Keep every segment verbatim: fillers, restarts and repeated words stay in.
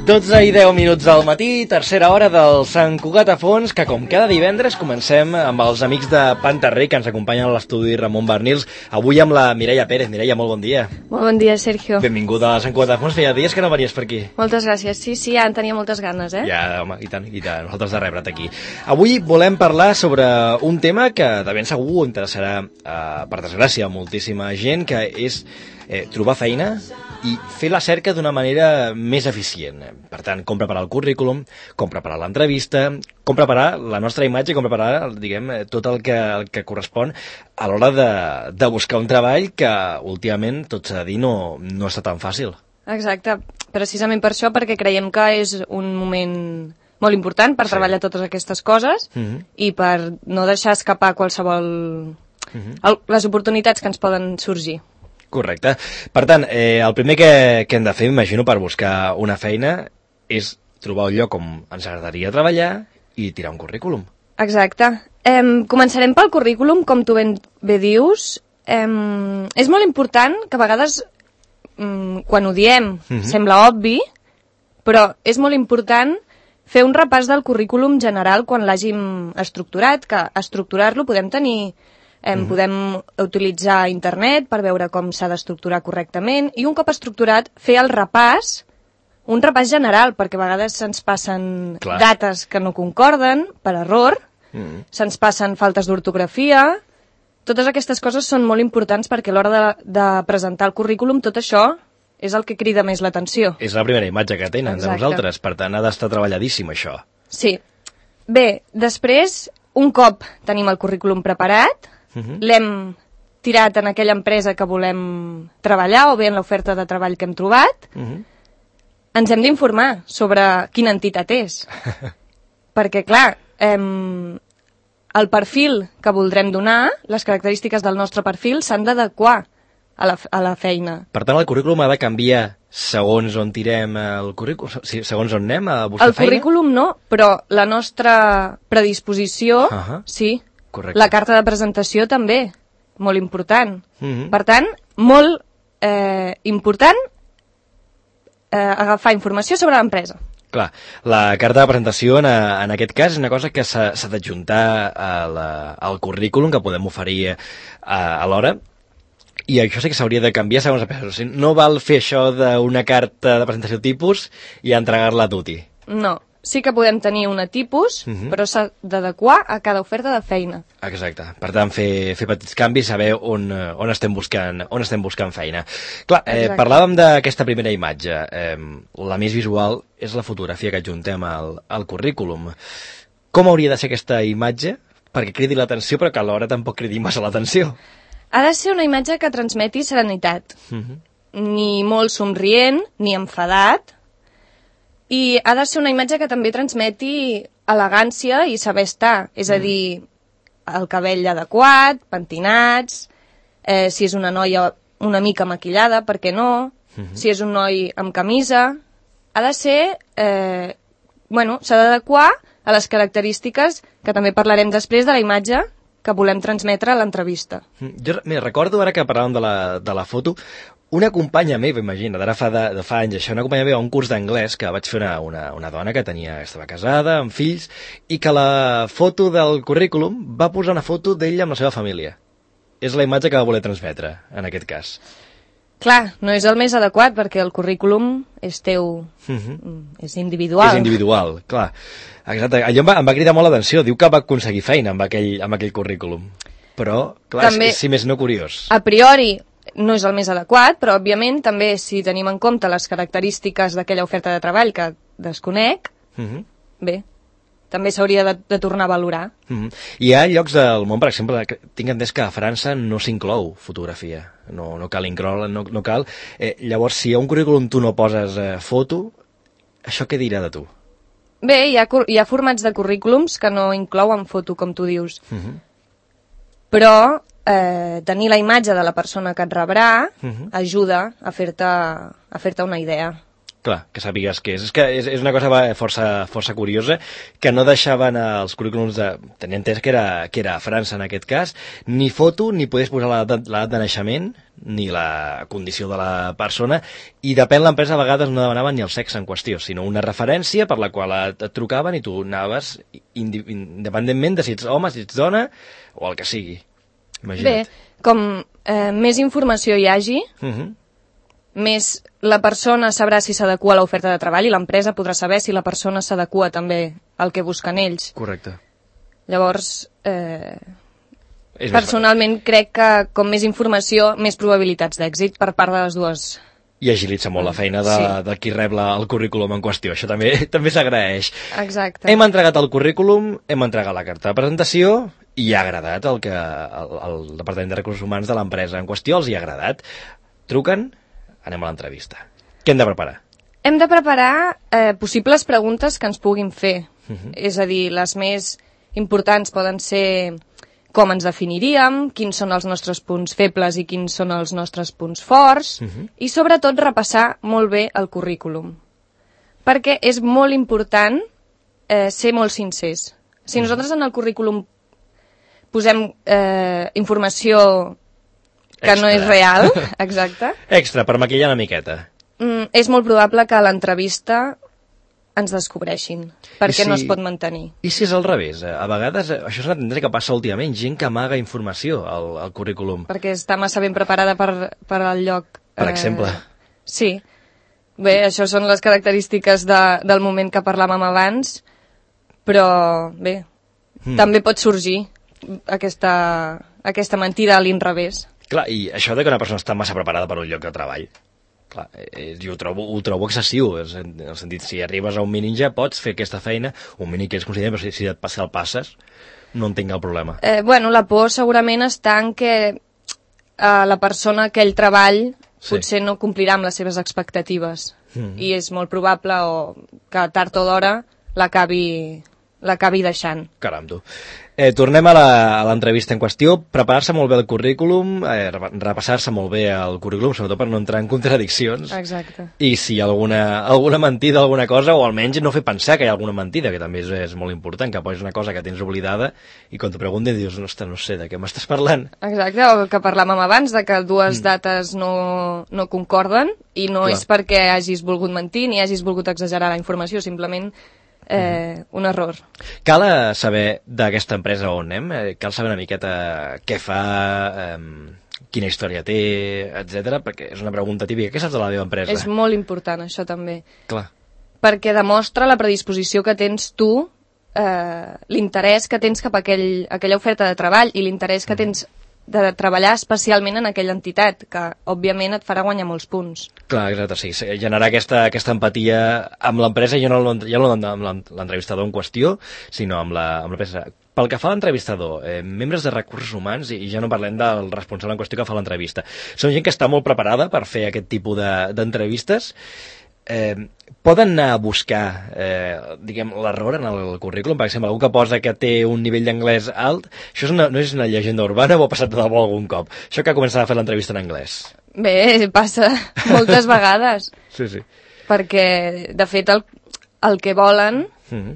dotze i deu minuts del matí, tercera hora del Sant Cugat a fons, que com cada divendres comencem amb els amics de Pantarrey que ens acompanyen a l'estudi Ramon Barnils, avui amb la Mireia Pérez. Mireia, molt bon dia. Molt bon dia, Sergio. Benvinguda a Sant Cugat a fons, feia dies que no venies per aquí. Moltes gràcies, sí, sí, ja en tenia moltes ganes, eh? Ja, home, i tant, i tant, nosaltres de rebre't aquí. Avui volem parlar sobre un tema que de ben segur interessarà, eh, per desgràcia, a moltíssima gent, que és eh, trobar feina i fer la cerca d'una manera més eficient. Per tant, com preparar el currículum, com preparar l'entrevista, com preparar la nostra imatge, com preparar, diguem, tot el que, el que correspon a l'hora de, de buscar un treball que últimament, tot s'ha de dir, no, no està tan fàcil. Exacte, precisament per això, perquè creiem que és un moment molt important per sí. treballar totes aquestes coses uh-huh. i per no deixar escapar qualsevol... Uh-huh. el, les oportunitats que ens poden sorgir. Correcte. Per tant, eh, el primer que, que hem de fer, imagino, per buscar una feina és trobar un lloc on ens agradaria treballar i tirar un currículum. Exacte. Eh, començarem pel currículum, com tu ben bé dius. Eh, és molt important que a vegades, mm, quan ho diem, uh-huh. sembla obvi, però és molt important fer un repàs del currículum general quan l'hàgim estructurat, que estructurar-lo podem tenir... Eh, mm. Podem utilitzar internet per veure com s'ha d'estructurar correctament i un cop estructurat fer el repàs, un repàs general, perquè a vegades se'ns passen Clar. dates que no concorden per error, mm. se'ns passen faltes d'ortografia. Totes aquestes coses són molt importants perquè a l'hora de, de presentar el currículum tot això és el que crida més l'atenció. És la primera imatge que tenen Exacte. de nosaltres, per tant ha d'estar treballadíssim això. Sí. Bé, després, un cop tenim el currículum preparat, Uh-huh. l'hem tirat en aquella empresa que volem treballar o bé en l'oferta de treball que hem trobat, uh-huh. ens hem d'informar sobre quina entitat és. Perquè, clar, em, el perfil que voldrem donar, les característiques del nostre perfil, s'han d'adequar a la, a la feina. Per tant, el currículum ha de canviar segons on tirem el currículum, segons on anem a buscar el feina? El currículum no, però la nostra predisposició, uh-huh. sí. Correcte. La carta de presentació també, molt important. Mm-hmm. Per tant, molt eh, important eh, agafar informació sobre l'empresa. Clar, la carta de presentació en, a, en aquest cas és una cosa que s'ha d'adjuntar al currículum que podem oferir a, a l'hora, i això sí que s'hauria de canviar segons la persona. O sigui, no val fer això d'una carta de presentació tipus i entregar-la a tutti. No. Sí que podem tenir una tipus, uh-huh. però s'ha d'adequar a cada oferta de feina. Exacte. Per tant, fer, fer petits canvis, saber on, on, estem buscant, on estem buscant feina. Clar, eh, parlàvem d'aquesta primera imatge. Eh, la més visual és la fotografia que adjuntem al, al currículum. Com hauria de ser aquesta imatge perquè cridi l'atenció, però que alhora tampoc cridi massa l'atenció? Ha de ser una imatge que transmeti serenitat. Uh-huh. Ni molt somrient, ni enfadat, i ha de ser una imatge que també transmeti elegància i saber estar, és a dir, el cabell adequat, pentinats, eh, si és una noia una mica maquillada, per què no, uh-huh. si és un noi amb camisa, ha de ser, eh, bueno, s'ha d'adequar a les característiques que també parlarem després de la imatge que volem transmetre a l'entrevista. Jo mira, recordo ara que parlàvem de la, de la foto, una companya meva, imagina, d'ara fa, de, de fa anys això, una companya meva a un curs d'anglès que vaig fer una, una, una dona que tenia, estava casada, amb fills, i que la foto del currículum va posar una foto d'ella amb la seva família. És la imatge que va voler transmetre, en aquest cas. Clar, no és el més adequat, perquè el currículum és teu, uh-huh. és individual. És individual, clar. Exacte. Allò em va, em va cridar molt l'atenció, diu que va aconseguir feina amb aquell, amb aquell currículum. Però, clar, també, és, si més no curiós. A priori, no és el més adequat, però òbviament també si tenim en compte les característiques d'aquella oferta de treball que desconec, uh-huh. bé, també s'hauria de, de tornar a valorar. Uh-huh. Hi ha llocs del món, per exemple, que tinc entès que a França no s'inclou fotografia, no, no cal incloure, no, no cal. Eh, llavors, si a un currículum tu no poses eh, foto, això què dirà de tu? Bé, hi ha, hi ha formats de currículums que no inclouen foto, com tu dius. Uh-huh. Però eh, tenir la imatge de la persona que et rebrà uh-huh. ajuda a fer-te a fer-te una idea. Clar, que sàpigues què és. És que és, és una cosa força, força curiosa, que no deixaven els currículums de... Tenia entès que era, que era a França, en aquest cas, ni foto, ni podies posar l'edat de naixement, ni la condició de la persona, i depèn l'empresa, a vegades no demanaven ni el sexe en qüestió, sinó una referència per la qual et, et trucaven i tu anaves independentment de si ets home, si ets dona, o el que sigui. Imagina't. Bé, com eh, més informació hi hagi, uh -huh. més la persona sabrà si s'adequa a l'oferta de treball i l'empresa podrà saber si la persona s'adequa també al que busquen ells. Correcte. Llavors, eh, personalment crec que com més informació, més probabilitats d'èxit per part de les dues. I agilitza molt la feina de, sí. de qui rep la, el currículum en qüestió. Això també també s'agraeix. Exacte. Hem entregat el currículum, hem entregat la carta de presentació i ha agradat el que el, el Departament de Recursos Humans de l'empresa en qüestió els hi ha agradat. Truquen, anem a l'entrevista. Què hem de preparar? Hem de preparar eh, possibles preguntes que ens puguin fer. Uh-huh. És a dir, les més importants poden ser com ens definiríem, quins són els nostres punts febles i quins són els nostres punts forts, uh-huh. i sobretot repassar molt bé el currículum. Perquè és molt important eh, ser molt sincers. Si nosaltres en el currículum posem eh, informació que extra. No és real, exacte. Extra, per maquillar una miqueta. Mm, és molt probable que a l'entrevista ens descobreixin, perquè si, no es pot mantenir. I si és al revés? A vegades, això és una tendència que passa últimament, gent que amaga informació al, al currículum. Perquè està massa ben preparada per, per al lloc. Per eh, exemple. Sí. Bé, això són les característiques de, del moment que parlàvem abans, però bé, mm. també pot sorgir aquesta, aquesta mentida a l'inrevés. Clar, i això de que una persona està massa preparada per un lloc de treball, clar, eh, jo ho trobo, ho trobo excessiu, en el sentit, si arribes a un mínim ja pots fer aquesta feina, un mínim que ells consideren, però si, si et passa el passes, no entenc el problema. Eh, bueno, la por segurament està en que eh, la persona aquell treball sí. potser no complirà amb les seves expectatives, mm. i és molt probable o que tard o d'hora l'acabi l'acabi deixant. Caram, tu. Eh, tornem a l'entrevista en qüestió. Preparar-se molt bé el currículum, eh, repassar-se molt bé el currículum, sobretot per no entrar en contradiccions. Exacte. I si hi ha alguna, alguna mentida, alguna cosa, o almenys no fer pensar que hi ha alguna mentida, que també és, és molt important, que posis una cosa que tens oblidada i quan t'ho pregunten dius, ostres, no sé, de què m'estàs parlant? Exacte, o que parlàvem abans, de que dues mm. dates no, no concorden i no Clar. És perquè hagis volgut mentir ni hagis volgut exagerar la informació, simplement Eh, un error. Cal saber d'aquesta empresa on anem? Eh, cal saber una miqueta què fa, eh, quina història té, etcètera, perquè és una pregunta típica. Què saps de la teva empresa? És molt important, això també. Clar. Perquè demostra la predisposició que tens tu, eh, l'interès que tens cap a aquell, aquella oferta de treball i l'interès que tens de treballar especialment en aquella entitat, que òbviament et farà guanyar molts punts. Clar, exacte, sí, generar aquesta, aquesta empatia amb l'empresa, ja no, ja no amb l'entrevistador en qüestió, sinó amb l'empresa. Pel que fa a l'entrevistador, eh, membres de recursos humans, i ja no parlem del responsable en qüestió que fa l'entrevista, són gent que està molt preparada per fer aquest tipus d'entrevistes, Eh, poden anar a buscar eh, diguem, l'error en el currículum, per exemple, algú que posa que té un nivell d'anglès alt, això és una, no és una llegenda urbana o ha passat de debò algun cop? Això que ha començat a fer l'entrevista en anglès. Bé, passa moltes vegades. Sí, sí. Perquè, de fet, el, el que volen mm-hmm.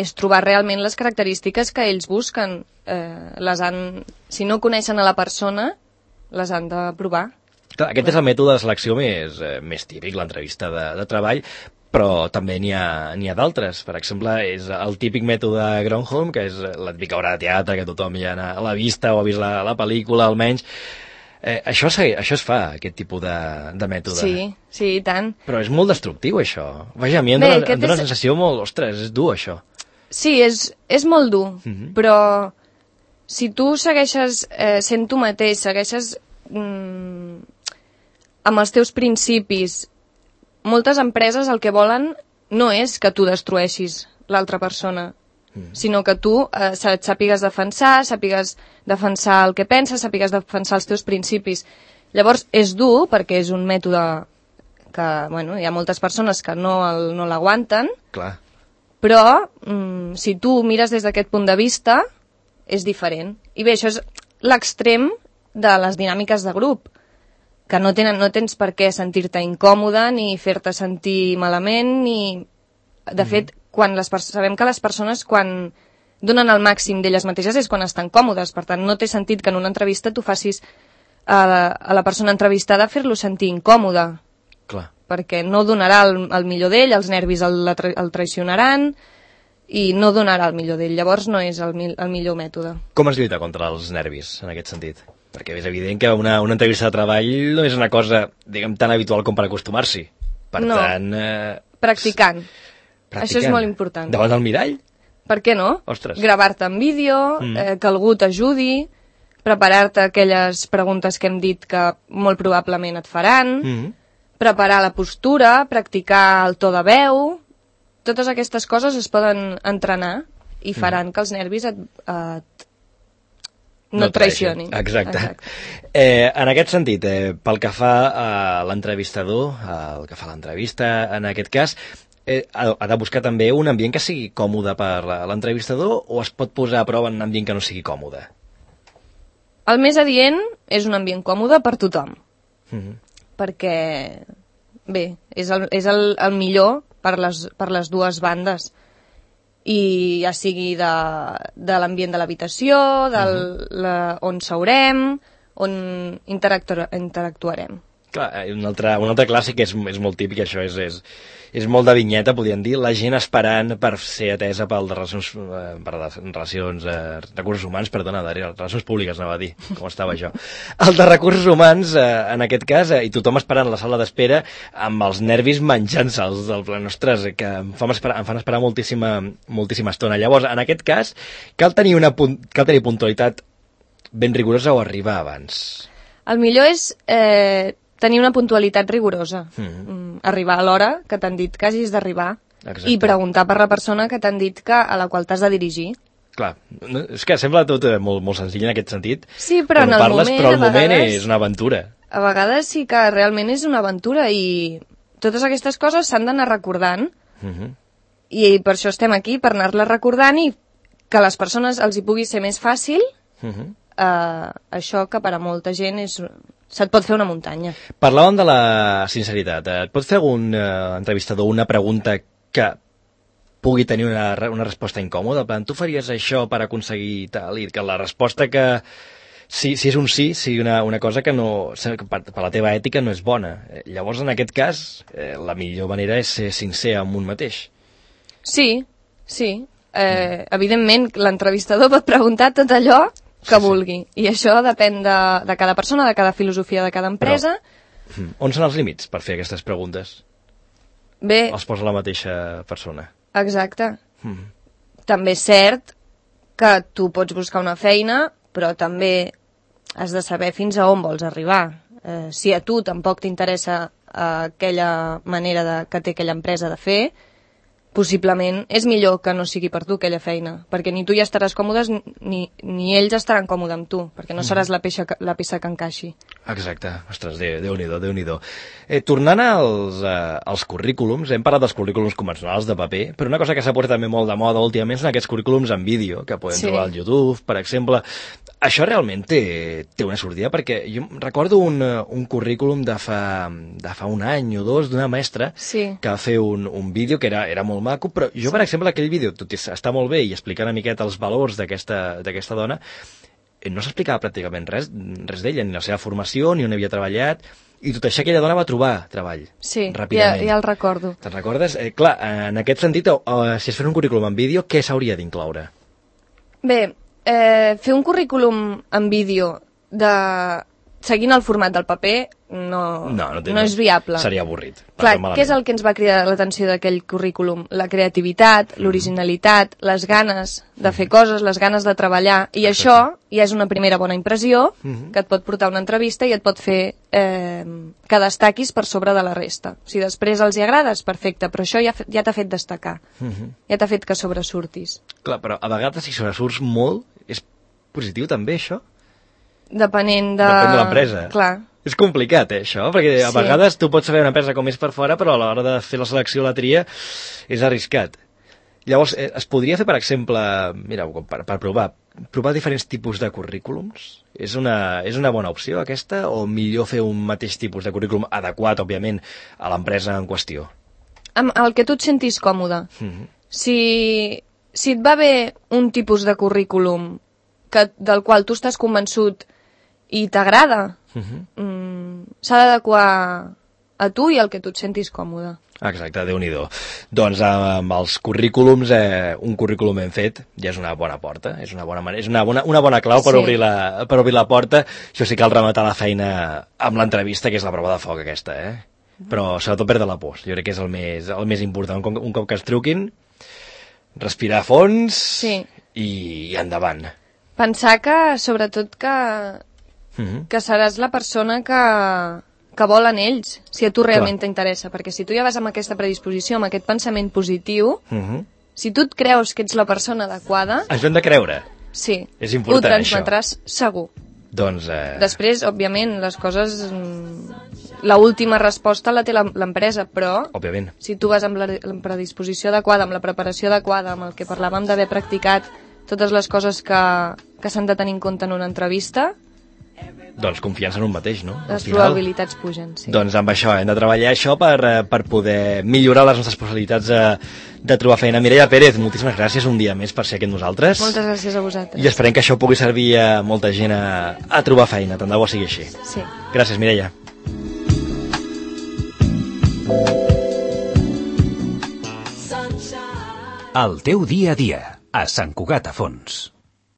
és trobar realment les característiques que ells busquen. Eh, les han, si no coneixen a la persona, les han de provar. Clar, aquest és el mètode de selecció més, eh, més típic, l'entrevista de, de treball, però també n'hi ha, n'hi ha d'altres. Per exemple, és el típic mètode Gronholm, que és la típica obra de teatre que tothom ja l'ha vista o ha vist la, la pel·lícula, almenys. Eh, això, això es fa, aquest tipus de, de mètode. Sí, sí, i tant. Però és molt destructiu, això. Vaja, a mi em dóna, em dóna és... sensació molt... Ostres, és dur, això. Sí, és, és molt dur, mm-hmm. però si tu segueixes eh, sent tu mateix, segueixes... Mm, amb els teus principis, moltes empreses el que volen no és que tu destrueixis l'altra persona, mm. sinó que tu eh, sàpigues defensar, sàpigues defensar el que penses, sàpigues defensar els teus principis. Llavors és dur, perquè és un mètode que, bueno, hi ha moltes persones que no, el, no l'aguanten, Clar. Però mm, si tu mires des d'aquest punt de vista, és diferent. I bé, això és l'extrem de les dinàmiques de grup, que no, tenen, no tens per què sentir-te incòmode ni fer-te sentir malament ni... De fet, quan les sabem que les persones quan donen el màxim d'elles mateixes és quan estan còmodes, per tant no té sentit que en una entrevista tu facis a la, a la persona entrevistada fer-lo sentir incòmode. Clar. Perquè no donarà el, el millor d'ell, els nervis el, el traicionaran i no donarà el millor d'ell, llavors no és el, el millor mètode. Com es lluita contra els nervis en aquest sentit? Perquè és evident que una, una entrevista de treball no és una cosa, diguem, tan habitual com per acostumar-s'hi. Per no. tant... Eh... Practicant. Practicant. Això és molt important. Davant del mirall? Per què no? Ostres. Gravar-te en vídeo, mm. eh, que algú t'ajudi, preparar-te aquelles preguntes que hem dit que molt probablement et faran, mm. preparar la postura, practicar el to de veu... Totes aquestes coses es poden entrenar i faran mm. que els nervis et, et no, no et traicionin. Exacte. Exacte. Eh, en aquest sentit, eh, pel que fa a l'entrevistador, el que fa l'entrevista, en aquest cas, eh, ha, ha de buscar també un ambient que sigui còmode per l'entrevistador o es pot posar a prova en un ambient que no sigui còmode? El més adient és un ambient còmode per tothom. Mm-hmm. Perquè, bé, és el, és el, el millor per les, per les dues bandes. I ja sigui de, de l'ambient de l'habitació, del, uh-huh. la, on seurem, on interactu interactuarem. Clar, un altre, un altre clàssic és, és molt típic, això és, és, és molt de vinyeta, podríem dir, la gent esperant per ser atesa pel de relacions, eh, per de relacions eh, recursos humans, perdona, de relacions públiques, anava a dir, com estava jo. El de recursos humans, eh, en aquest cas, eh, i tothom esperant a la sala d'espera, amb els nervis menjant-se'ls del plan, ostres, que em fan esperar, em fan esperar moltíssima, moltíssima estona. Llavors, en aquest cas, cal tenir, una, cal tenir puntualitat ben rigorosa o arribar abans? El millor és... Eh... tenir una puntualitat rigorosa. Mm. Arribar a l'hora que t'han dit que hagis d'arribar i preguntar per la persona que t'han dit que a la qual t'has de dirigir. Clar, és que sembla tot molt, molt senzill en aquest sentit. Sí, però en el parles, moment... Però el moment vegades, és una aventura. A vegades sí que realment és una aventura i totes aquestes coses s'han d'anar recordant mm-hmm. i per això estem aquí, per anar-les recordant i que a les persones els hi pugui ser més fàcil mm-hmm. eh, això que per a molta gent és... se't pot fer una muntanya. Parlàvem de la sinceritat. Et pot fer algun eh, entrevistador una pregunta que pugui tenir una, una resposta incòmoda? En plan, tu faries això per aconseguir tal? I que la resposta que, si, si és un sí, sigui una, una cosa que no, per, per la teva ètica no és bona. Llavors, en aquest cas, eh, la millor manera és ser sincer amb un mateix. Sí, sí. Eh, mm. Evidentment, l'entrevistador pot preguntar tot allò que sí, vulgui. Sí. I això depèn de, de cada persona, de cada filosofia, de cada empresa. Però, on són els límits per fer aquestes preguntes? Bé... Els posa la mateixa persona. Exacte. Mm. També és cert que tu pots buscar una feina, però també has de saber fins a on vols arribar. Eh, si a tu tampoc t'interessa eh, aquella manera de, que té aquella empresa de fer, possiblement és millor que no sigui per tu aquella feina, perquè ni tu ja estaràs còmodes ni, ni ells estaran còmodes amb tu, perquè no seràs la peça, la peça que encaixi. Exacte. Ostres, Déu-n'hi-do, Déu-n'hi-do. Eh, tornant als, eh, als currículums, hem parlat dels currículums convencionals de paper, però una cosa que s'ha posat també molt de moda últimament són aquests currículums en vídeo, que podem sí. trobar al YouTube, per exemple. Això realment té, té una sortida, perquè jo recordo un, un currículum de fa, de fa un any o dos d'una mestra sí. que va fer un, un vídeo que era, era molt maco, però jo, per exemple, aquell vídeo, tot i està molt bé i explicar una miqueta els valors d'aquesta dona, no s'explicava pràcticament res, res d'ella, ni la seva formació, ni on havia treballat, i tot això aquella dona va trobar treball, sí, ràpidament. Ja, ja el recordo. Te'n recordes? Eh, clar, en aquest sentit, eh, si es fa un currículum en vídeo, què s'hauria d'incloure? Bé, eh, fer un currículum en vídeo de... seguint el format del paper no, no, no, té, no és viable. Seria avorrit. Clar, què és el que ens va cridar l'atenció d'aquell currículum? La creativitat, mm. l'originalitat, les ganes de fer coses, les ganes de treballar, i Exacte. Això ja és una primera bona impressió mm -hmm. que et pot portar a una entrevista i et pot fer eh, que destaquis per sobre de la resta. Si després els hi agrades, perfecte, però això ja, ja t'ha fet destacar, mm -hmm. ja t'ha fet que sobresurtis. Clar, però a vegades si sobresurts molt, és positiu també això? Depenent de... Depèn de l'empresa. Clar. És complicat, eh, això, perquè a sí. vegades tu pots saber una empresa com és per fora, però a l'hora de fer la selecció o la tria és arriscat. Llavors, eh, es podria fer, per exemple, mira, per, per provar, provar diferents tipus de currículums? És una, és una bona opció, aquesta? O millor fer un mateix tipus de currículum adequat, òbviament, a l'empresa en qüestió? Amb el que tu et sentis còmode. Mm-hmm. Si, si et va bé un tipus de currículum que, del qual tu estàs convençut i t'agrada, mm-hmm. mm, s'ha d'adequar a tu i al que tu et sentis còmode. Exacte, Déu-n'hi-do. Doncs amb els currículums, eh, un currículum ben fet ja és una bona porta, és una bona, és una bona, una bona clau per, sí. obrir la, per obrir la porta. Això sí, cal rematar la feina amb l'entrevista, que és la prova de foc aquesta, eh? Però sobretot perdre la por, jo crec que és el més, el més important. Un, un cop que es truquin, respirar a fons sí. i, i endavant. Pensar que, sobretot, que, mm-hmm. que seràs la persona que... que volen ells, si a tu realment t'interessa, perquè si tu ja vas amb aquesta predisposició, amb aquest pensament positiu, uh-huh. si tu et creus que ets la persona adequada... Això hem de creure. Sí, és important, ho transmetràs això. Segur. Doncs... Eh... Després, òbviament, les coses... La última resposta la té l'empresa, però... Òbviament. Si tu vas amb la predisposició adequada, amb la preparació adequada, amb el que parlàvem d'haver practicat totes les coses que, que s'han de tenir en compte en una entrevista... Doncs confiança en un mateix, no? Les probabilitats pugen, sí. Doncs amb això, hem de treballar això per, per poder millorar les nostres possibilitats de, de trobar feina. Mireia Pérez, moltíssimes gràcies un dia més per ser aquí amb nosaltres. Moltes gràcies a vosaltres. I esperem que això pugui servir a molta gent a, a trobar feina, tant de bo sigui així. Sí. Gràcies, Mireia. El teu dia a dia, a Sant Cugat a Fons.